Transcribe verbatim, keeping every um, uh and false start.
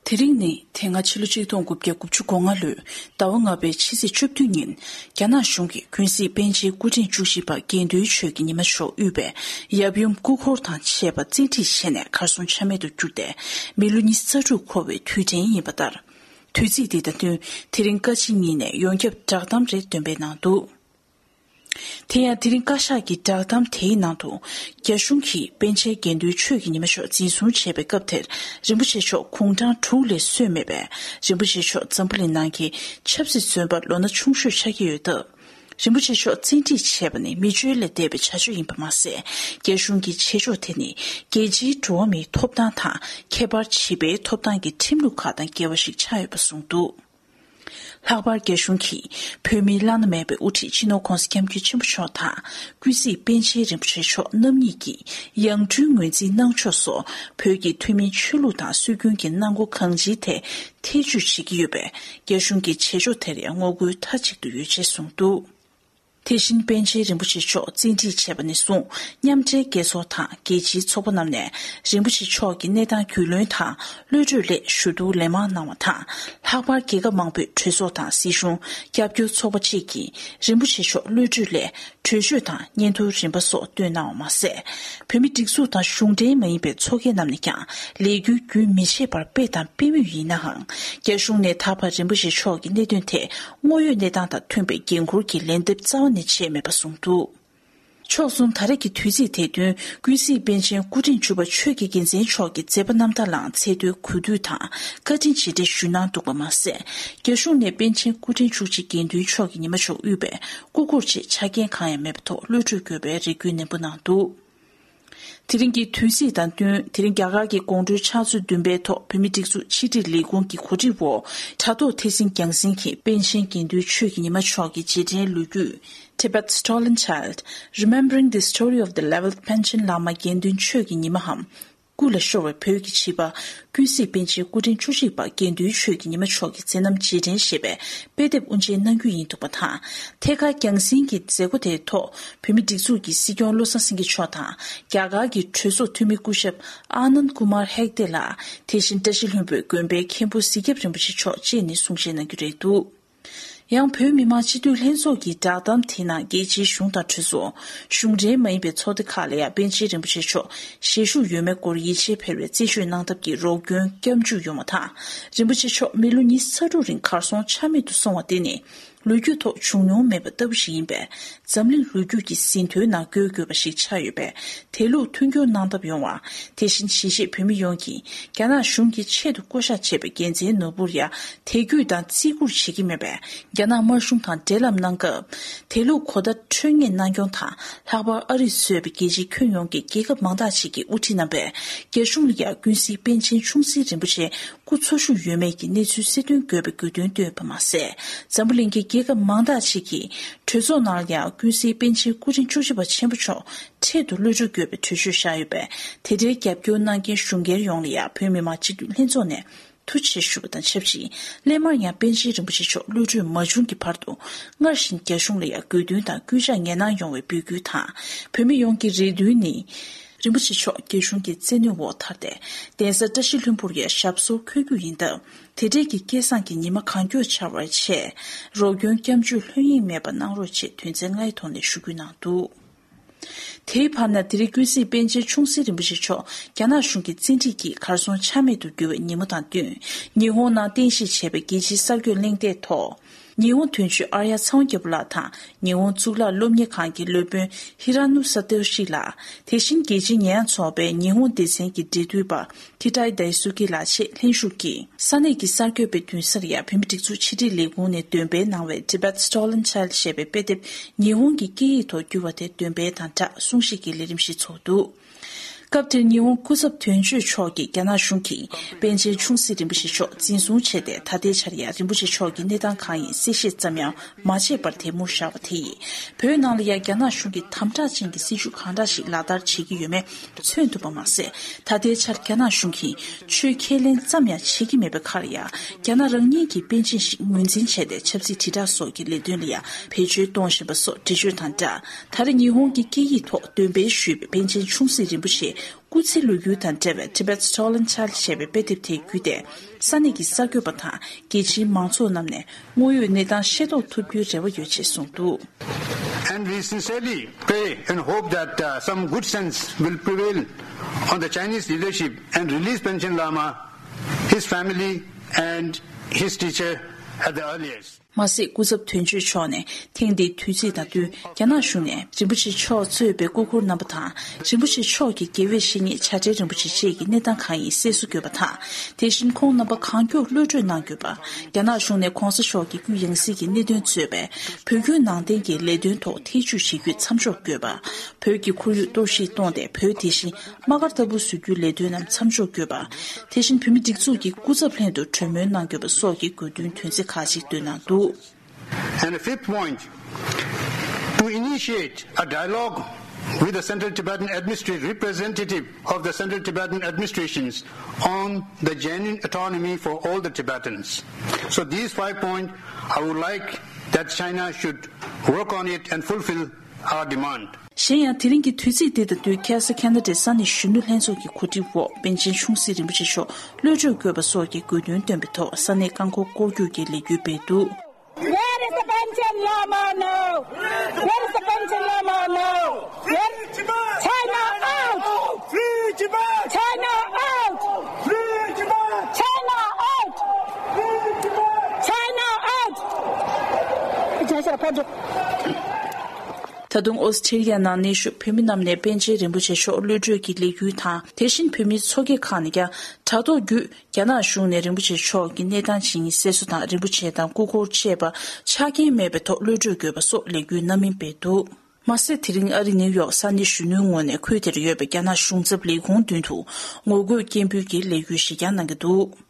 དེ་རིང་ནི་དེ་སྔ་ཕྱི་ལོ་ཆིག་སྟོང་དགུ་བརྒྱ་དགུ་བཅུ་གོ་ལྔ་ལོའི་ཟླ་བ་ལྔ་པའི་ཕྱི་ཚེས་བཅུ་བདུན་ཉིན། རྒྱ་ནག་གཞུང་གིས་ཀུན་གཟིགས་པཎ་ཆེན་སྐུ་ཕྲེང་བཅུ་བཞི་པ་དགེ་འདུན་ཆོས་ཀྱི་ཉི་མ་མཆོག་དབུས་པའི་ཡབ་ཡུམ་སྐུ་འཁོར་དང་བཅས་པ་བཙན་ཁྲིད་བྱས་ནས་གར་སོང་ཆ་མེད་དུ་གྱུར་ཏེ། མི་ལོ་ཉི་ཤུ་རྩ་དྲུག་འཁོར་བའི་དུས་དྲན་ཡིན་པ་ལྟར། དུས་ཚིགས་འདི་དང་བསྟུན། དེ་རིང་བཀའ་སྤྱི་གཉིས་ནས་ཡོངས་ཁྱབ་བསྒྲགས་གཏམ་རེ་འདོན་སྤེལ་གནང་འདུག་དེ་ཡང་དེ་རིང་བཀའ་ཤག་གི་བསྒྲགས་གཏམ་དེའི་ནང་དུ། རྒྱ་གཞུང་གིས་པཎ་ཆེན་དགེ་འདུན་ཆོས་ཀྱི་ཉི་མ་མཆོག་འཛིན་བཟུང་བྱས་པའི་སྐབས་དེར། རིན་པོ་ཆེ་མཆོག་དགུང་གྲངས་དྲུག་ལས་སོན་མེད་པས། རིན་པོ་ཆེ་མཆོག་འཛམ་བུ་གླིང་ནང་གི་ཆབ་སྲིད་བཙོན་པ་ལོ་ན་ཆུང་ཤོས་ཆགས་ཀྱི་ཡོད་སྟབས། རིན་པོ་ཆེ་མཆོག་བཙན་ཁྲིད་བྱས་པ་ནི་མི་ཆོས་ལས་འདས་པའི་བྱ་སྤྱོད་ཡིན་པ་མ་ཟད། རྒྱ་གཞུང་གི་བྱེད་ཕྱོགས་དེ་ནི་རྒྱལ་སྤྱིའི་འགྲོ་བ་མིའི་ཐོབ་ཐང་དང་། ཁྱད་པར་བྱིས་པའི་ཐོབ་ཐང་གི་ཁྲིམས་ལུགས་ཁག་དང་འགལ་བ་ཞིག་ཆགས་ཡོད་པ་གསུངས་འདུག་ལྷག་པར་རྒྱ་གཞུང་གིས་བོད་མིའི་བླ་ན་མེད་པའི་དབུ་ཁྲིད་སྤྱི་ནོར་༧གོང་ས་༧སྐྱབས་མགོན་ཆེན་པོ་མཆོག་དང་། ཀུན་གཟིགས་པཎ་ཆེན་རིན་པོ་ཆེ་མཆོག་རྣམ་གཉིས་ཀྱིས་ཡང་སྤྲུལ་ངོས་འཛིན་གནང་ཕྱོགས་སོགས། བོད་ཀྱི་ཐུན་མིན་ཆོས་ལུགས་དང་སྲོལ་རྒྱུན་གྱི་གནང་སྒོ་གང་ཅིའི་ཐད་ཐེ་བྱུས་བྱེད་ཀྱི་ཡོད་པས། རྒྱ་གཞུང་གི་བྱེད་ཕྱོགས་དེར་ཡང་ངོ་རྒོལ་མཐའ་གཅིག་ཏུ་ཡོད་ཅེས་གསུངས་འདུག་དེ་བཞིན་པཎ་ཆེན་རིན་པོ་ཆེ་མཆོག་བཙན་ཁྲིད་བྱས་པ་ནས་བཟུང་། མཉམ་འབྲེལ་རྒྱལ་ཚོགས་དང་རྒྱལ་སྤྱིའི་ཚོགས་པ་རྣམས་ནས་རིན་པོ་ཆེ་མཆོག་གི་གནས་སྟངས་རྒྱུས་ལོན་དང་གློད་གྲོལ་སླད་ཞུ་གཏུག་ལན་མང་གནང་བ་དང་། ལྷག་པར་རྒྱལ་ཁབ་མང་པོའི་གྲོས་ཚོགས་དང་སྲིད་གཞུང་། རྒྱབ་སྐྱོར་ཚོགས་པ་བཅས་ཀྱིས་རིན་པོ་ཆེ་མཆོག་གློད་གྲོལ་སླད་གྲོས་ཆོད་དང་སྙན་ཐོའི་རིམ་པ་སོགས་བཏོན་གནང་བ་མ་ཟད། བོད་མིའི་སྒྲིག་འཛུགས་དང་གཞུང་འབྲེལ་མ་ཡིན་པའི་ཚོགས་སྡེ་རྣམས་ནས་ཀྱང་ལས་འགུལ་རྒྱུན་མི་ཆད་པར་སྤེལ་དང་སྤེལ་མུས་ཡིན་ནའང་། རྒྱ་གཞུང་ནས་ད་བར་རིན་པོ་ཆེ་མཆོག་གི་གནད་དོན་ཐད་དངོས་ཡོད་གནས་སྟངས་དང་མཐུན་པའི་འགན་འཁུར་གྱི་ལན་འདེབས་རྩ་བ་ནས་བྱས་མེད་པ་གསུངས་འདུག་ཕྱོགས་གསུམ་ད་རེས་ཀྱི་དུས་ཚིགས་དེ་བསྟུན། ཀུན་གཟིགས་པཎ་ཆེན་སྐུ་ཕྲེང་བཅུ་པ་ཆོས་ཀྱི་རྒྱལ་མཚན་མཆོག་གི་མཛད་པ་རྣམ་ཐར་ལའང་ཚད་མཐོའི་གུས་འདུད་དང་བཀའ་དྲིན་རྗེས་དྲན་ཞུས་གནང་འདུག་པ་མ་ཟད། རྒྱ་གཞུང་ནས་པཎ་ཆེན་སྐུ་ཕྲེང་བཅུ་གཅིག་དགེ་འདུན་མཆོག་གི་ཉི་མ་མཆོག་དབུས་པའི་སྐུ་འཁོར་ཆེད་ཆ་རྐྱེན་གང་ཡང་མེད་པའི་ཐོག་གློད་གྲོལ་དགོས་པའི་རེ་སྐུལ་ནན་པོ་གནང་འདུག་དེ་རིང་གི་དུས་ཚིགས་དང་བསྟུན། དེ་རིང་རྒྱ་གར་གྱི་དགོང་དྲོའི་ཕྱག་ཚོད་བདུན་པའི་ཐོག་བོད་མིའི་སྒྲིག་འཛུགས་ཕྱི་དྲིལ་ལས་ཁུངས་ཀྱི་གོ་སྒྲིག་འོག་དྲ་ཐོག་ཐད་སྲིང་རྒྱང་སྲིང་གིས་པཎ་ཆེན་དགེ་འདུན་ཆོས་ཀྱི་ཉི་མ་མཆོག་གི་རྗེས་དྲན་ལོ་རྒྱུས། Tibet's Stolen Child, Remembering the Story of the Eleventh Panchen Lama དགེ་འདུན་ཆོས་ཀྱི་ཉི་མའམ། སྐུ་ལ་ཤོར་བའི་བོད་ཀྱི་བྱིས་པ། ཀུན་གཟིགས་པཎ་ཆེན་སྐུ་ཕྲེང་བཅུ་གཅིག་པ་དགེ་འདུན་ཆོས་ཀྱི་ཉི་མ་མཆོག་གི་མཛད་རྣམ་རྗེས་དྲན་ཞེས་པའི་དཔེ་དེབ་དབུ་འབྱེད་གནང་རྒྱུ་ཡིན་འདུག་པ་དང་། ཐད་ཀར་རྒྱང་སྲིང་གི་མཛད་སྒོ་དེའི་ཐོག་བོད་མིའི་སྒྲིག་འཛུགས་ཀྱི་སྲིད་སྐྱོང་བློ་བཟང་སེང་གེ་མཆོག་དང་། རྒྱ་གར་གྱི་གྲོས་ཚོགས་འཐུས་མི་སྐུ་ཞབས་ཨ་ནནྡ་ཀུ་མར་ཧེག་ཏེ་ལགས། དེ་བཞིན་བཀྲ་ཤིས་ལྷུན་པོའི་དགོན་པའི་མཁན་པོ་གཟིག་སྐྱབས་རིན་པོ་ཆེ་མཆོག་བཅས་ནས་གསུང་བཤད་གནང་རྒྱུ་རེད་འདུག་ཡང་བོད་མི་མང་སྤྱི་འཐུས་ལྷན་ཚོགས་ཀྱི་བསྒྲགས་གཏམ་དེའི་ནང་རྒྱལ་སྤྱིའི་གཞུང་དང་གྲོས་ཚོགས། གཞུང་འབྲེལ་མ་ཡིན་པའི་ཚོགས་སྡེ་ཁག་ལ་ཡང་པཎ་ཆེན་རིན་པོ་ཆེ་མཆོག་ཞལ་བཞུགས་ཡོད་མེད་སྐོར་ཡིད་ཆེས་འཕེར་བའི་རྩད་གཅོད་གནང་ཐབས་ཀྱི་རོགས་སྐྱོན་སྐྱབས་འཇུག་ཡོང་བ་དང་། རིན་པོ་ཆེ་མཆོག་མི་ལོ་ཉི་ཤུ་རྩ་དྲུག་རིང་གར་སོང་ཆ་མེད་དུ་སོང་བ་དེ་ནི་ལོ་རྒྱུས་ཐོག་བྱུང་མྱོང་མེད་པ་ལྟ་བུ་ཞིག་ཡིན་པས། འཛམ་གླིང་ལོ་རྒྱུས་ཀྱི་ཟིན་ཐོའི་ནང་འགོད་དགོས་པ་ཞིག་ཆགས་ཡོད་པས། དེ་ལུགས་མཐུན་འགྱུར་གནང་ཐབས་ཡོང་བ། དེ་བཞིན་གཞིས་བྱེས་བོད་མི་ཡོངས་ཀྱིས་རྒྱ་ནག་གཞུང་གིས་ཆེད་དུ་བསྐོ་བཞག་བྱས་པའི་རྒྱལ་མཚན་ནོར་བུར་ཡང་དད་གུས་དང་བརྩི་བཀུར་བྱེད་ཀྱི་མེད་པས། རྒྱ་ནག་དམར་གཞུང་དང་འབྲེལ་ལམ་གནང་སྐབས། དེ་ལུགས་གོ་བརྡ་འཕྲོད་ངེས་གནང་སྐྱོང་དང་། ལྷག་པར་ཨ་རིས་བཟོས་པའི་རྒྱལ་སྤྱིའི་ཁྱོན་ཡོངས་ཀྱི་རྒྱལ་ཁབ་མང་དག་ཅིག་གི་དབུ་ཁྲིད་རྣམ་པས་རྒྱ་གཞུང་ལ་ཡང་ཀུན་གཟིགས་པཎ་ཆེན་ཆུང་སྲིད་རིན་པོ་ཆེ་སྐུ་འཚོ་བཞུགས་ཡོད་མེད་ཀྱི་གནས་ཚུལ་གསལ་སྟོན་དགོས་པའི་དགོས་འདུན་བཏོན་པ་མ་ཟད། འཛམ་བུ་གླིང་གི་རྒྱལ་ཁབ་མང་དག་ཅིག་གིས་གྲོས་ཚོགས་ནང་ལ་ཡང་ཀུན་གཟིགས་པཎ་ཆེན་སྐུ་ཕྲེང་བཅུ་བཞི་པ་ཆེན་པོ་མཆོག་འཕྲལ་དུ་གློད་གྲོལ་དགོས་པའི་གྲོས་ཆོད་བཞག་ཡོད་པས། དེ་འབྲེལ་རྒྱབ་སྐྱོར་གནང་མཁན་གཞུང་སྒེར་ཡོངས་ལ་ཡང་བོད་མི་མང་སྤྱི་འཐུས་ལྷན་ཚོགས་ནས་ཐུགས་རྗེ་ཆེ་ཞུ་བ་དང་ཆབས་ཅིག་སླད་མར་ཡང་པཎ་ཆེན་རིན་པོ་ཆེ་མཆོག་གློད་གྲོལ་མ་བྱུང་གི་བར་དུ། སྔར་བཞིན་རྒྱ་གཞུང་ལ་ཡང་དགོས་འདུན་དང་སྐུལ་ལྕག་ངེས་གནང་ཡོང་བའི་འབོད་སྐུལ་དང་། བོད་མི་ཡོངས་ཀྱི་རེ་འདུན་ནི། རིན་པོ་ཆེ་མཆོག་རྒྱ་གཞུང་གི་བཙན་གནོན་འོག་ཐར་ཏེ། གདན་ས་བཀྲ་ཤིས་ལྷུན་པོར་ཡང་ཞབས་སོར་འཁོད་རྒྱུ་ཡིན་སྟབས། དེ་འབྲེལ་གྱི་སྐལ་བཟང་གི་ཉི་མ་གང་མགྱོགས་འཆར་བར་ཆེད། རོགས་སྐྱོན་སྐྱབས་འཇུག་ལྷོད་གཡེང་མེད་པར་གནང་རོགས་ཞེས་དོན་ཚན་ལྔའི་ཐོག་ནས་ཞུ་སྐུལ་གནང་འདུག་དེའི་བར་ན། དེ་རིང་ཀུན་གཟིགས་པཎ་ཆེན་ཆུང་སྲིད་རིན་པོ་ཆེ་མཆོག་རྒྱ་ནག་གཞུང་གི་བཙན་ཁྲིད་ཀྱིས་གར་སོང་ཆ་མེད་དུ་གྱུར་བའི་ཉིན་མོ་དང་བསྟུན། ཉི་ཧོང་ནང་རྟེན་གཞི་བྱས་པའི་རྒྱལ་སྤྱིའི་གསར་འགོད་གླེང་སྟེགས་ཐོག་ཉི་ཧོང་དོན་གཅོད་ཨརྱ་ཚེ་དབང་རྒྱལ་པོ་ལགས་དང་། ཉི་ཧོང་གཙུག་ལག་སློབ་གཉེར་ཁང་གི་སློབ་དཔོན་ཧི་ར་ནུ་ས་ཏོ་ཤི་ལགས། དེ་བཞིན་རྒྱལ་སྤྱིའི་ཉེས་ཡངས་ཚོགས་པའི་ཉི་ཧོང་སྡེ་ཚན་གྱི་འབྲེལ་མཐུད་པ། ཐི་ཏའི་དའི་སུ་ཀི་ལགས་བཅས་ལྷན་ཞུགས་ཀྱིས། ས་གནས་ཀྱི་གསར་འགོད་པའི་མདུན་སར་ཡང་བོད་མིའི་སྒྲིག་འཛུགས་ཕྱི་དྲིལ་ལས་ཁུངས་ནས་འདོན་སྤེལ་གནང་བའི་Tibet Stolen Child ཞེས་པའི་དཔེ་དེབ་ཉི་ཧོང་གི་སྐད་ཡིག་ཐོག་བསྒྱུར་བ་དེ་འདོན་སྤེལ་དང་སྦྲགས་གསུང་བཤད་ཀྱི་ལས་རིམ་ཞིག་ཚོགས་འདུག་སྐབས་དེར་ཉི་ཧོང་སྐུ་ཚབ་དོན་གཅོད་མཆོག་གིས་རྒྱ་ནག་གཞུང་གིས་པཎ་ཆེན་ཆུང་སྲིད་རིན་པོ་ཆེ་མཆོག་འཛིན་བཟུང་བྱས་ཏེ། ད་ལྟའི་ཆར་ཡང་རིན་པོ་ཆེ་མཆོག་གི་གནས་སྟངས་གང་ཡིན་གསལ་བཤད་ཙམ་ཡང་མ་བྱས་པར་དེ་མུར་བཞག་པ་དེ་ཡིས། བོད་ནང་ལ་ཡང་རྒྱ་ནག་གཞུང་གིས་དམ་དྲག་ཅན་གྱི་སྲིད་བྱུས་གང་འདྲ་ཞིག་ལག་བསྟར་བྱེད་ཀྱི་ཡོད་མེད་མཚོན་ཐུབ་པ་མ་ཟད། ད་ལྟའི་ཆར་རྒྱ་ནག་གཞུང་གིས་ཆོས་ཁས་ལེན་ཙམ་ཡང་བྱེད་ཀྱི་མེད་པའི་ཁར་ཡང་། རྒྱ་ནག་རང་ཉིད་ཀྱི་པཎ་ཆེན་ཞིག་ངོས་འཛིན་བྱས་ཏེ། ཆབ་སྲིད་དྲིལ་བསྒྲགས་སོགས་ཀྱི་ལས་དོན་ལ་ཡང་བེད་སྤྱོད་གཏོང་བཞིན་པ་སོགས་འགྲེལ་བརྗོད་དང་སྦྲགས། ད་རེས་ཉི་ཧོང་གི་སྐད་ཡིག་ཐོག་འདོན་སྤེལ་ཞུས་པའི་པཎ་ཆེན་ཆུང་སྲིད་རིན་པོ་ཆེ་ སྐུ་ཚེ་ལོ་རྒྱུས་དང་འབྲེལ་བའི་Tibet Stolen Child ཞེས་པའི་དཔེ་དེབ་དེ་བརྒྱུད་དེ། ས་གནས་ཀྱི་གསར་འགོད་པ་དང་རྒྱལ་སྤྱིའི་མང་ཚོགས་རྣམས་ནས་དངོས་ཡོད་གནས་སྟངས་ཤེས་རྟོགས་ཐུབ་རྒྱུའི་རེ་བ་ཡོད་ཅེས་གསུངས་འདུག། And we sincerely pray and hope that, uh, some good sense will prevail on the Chinese leadership and release Panchen Lama, his family, and his teacher at the earliest. མ་ཟད། སྐུ་ཚབ་དོན་གཅོད་མཆོག་ནས་ཐེངས་འདིའི་དུས་ཚིགས་དང་བསྟུན། རྒྱ་ནག་གཞུང་ནས་རིན་པོ་ཆེ་མཆོག་གཙོས་པའི་སྐུ་འཁོར་རྣམ་པ་དང་། རིན་པོ་ཆེ་མཆོག་གི་དགེ་བའི་བཤེས་གཉེན་བྱ་བྲལ་རིན་པོ་ཆེ་བཅས་ཀྱི་གནས་སྟངས་གང་ཡིན་གསལ་བཟོ་དགོས་པ་དང་། དེ་བཞིན་ཁོང་རྣམ་པ་གང་མགྱོགས་གློད་གྲོལ་གནང་དགོས་པ། རྒྱ་ནག་གཞུང་ནས་གོང་ས་མཆོག་གི་རྒྱུ་ཡང་སྲིད་ཀྱི་གནད་དོན་གཙོས་པའི་བོད་བརྒྱུད་ནང་བསྟན་གྱི་ལས་དོན་ཐོག་ཐེ་ཇུས་བྱེད་རྒྱུ་མཚམས་འཇོག་དགོས་པ། བོད་ཀྱི་ཁོར་ཡུག་གཏོར་བཤིག་གཏོང་སྟེ། བོད་དེ་བཞིན་དམག་སྒར་ལྟ་བུ་བཟོ་རྒྱུའི་ལས་དོན་རྣམས་མཚམས་འཇོག་དགོས་པ། དེ་བཞིན་བོད་མི་སྒྲིག་འཛུགས་ཀྱི་སྐུ་ཚབ་ལྷན་དུ་གྲོས་མོལ་གནང་དགོས་པ་སོགས་ཀྱི་དགོས་འདུན་དོན་ཚན་ཁག་ཅིག་བཏོན་གནང་འདུག། And the fifth point, to initiate a dialogue with the Central Tibetan Administrative representative of the Central Tibetan administrations on the genuine autonomy for all the Tibetans. So these five points, I would like that China should work on it and fulfill our demand. གཞན་ཡང་། དེ་རིང་གི་དུས་ཚིགས་འདི་དང་བསྟུན། ཁ་སང་ཁ་ན་ཌའི་ས་གནས་གཞོན་ནུ་ལྷན་ཚོགས་ཀྱི་གོ་སྒྲིག་འོག་པཎ་ཆེན་ཆུང་སྲིད་རིན་པོ་ཆེ་མཆོག་གློད་གྲོལ་དགོས་པ་སོགས་ཀྱི་དགོས་འདུན་བཏོན་པའི་ཐོག་ས་གནས་རྐང་འཁོར་སྐོར་རྒྱུག་གི་ལས་འགུལ་སྤེལ་འདུག། Where is the Panchen Lama now? Where is the Panchen Lama now? Where? China out! Free Tibet! China out! Free Tibet! China out! Free Tibet! China out! ད་དུང་ཨོ་སི་ཁྲི་ལི་ཡ་ནང་གནས་བཞུགས་བོད་མི་རྣམས་ནས་པཎ་ཆེན་རིན་པོ་ཆེ་མཆོག་གློད་གྲོལ་གྱི་ལས་འགུལ་དང་། དེ་བཞིན་བོད་མིའི་ཚོགས་སྐྱིད་ཁག་ནས་ཀྱང་དྲ་ཐོག་བརྒྱུད། རྒྱ་ནག་གཞུང་ནས་རིན་པོ་ཆེ་མཆོག་གི་གནས་སྟངས་ཇི་ཡིན་གསལ་བཟོ་དང་། རིན་པོ་ཆེ་དང་སྐུ་འཁོར་བཅས་པ་ཆ་རྐྱེན་མེད་པའི་ཐོག་གློད་གྲོལ་དགོས་པ་སོགས་ལས་འགུལ་སྣ་མིན་སྤེལ་འདུག། མ་ཟད། དེ་རིང་ཨ་རི་ནིའུ་ཡོག་ས་གནས་གཞོན་ནུའི་ངོས་ནས་ཁུལ་དེར་ཡོད་པའི་རྒྱ་ནག་གཞུང་ཚབ་ལས་ཁུངས་མདུན་དུ་ངོ་རྒོལ་སྐད་འབོད་ཀྱི་ལས་འགུལ་ཞིག་ཀྱང་གནང་གི་འདུག།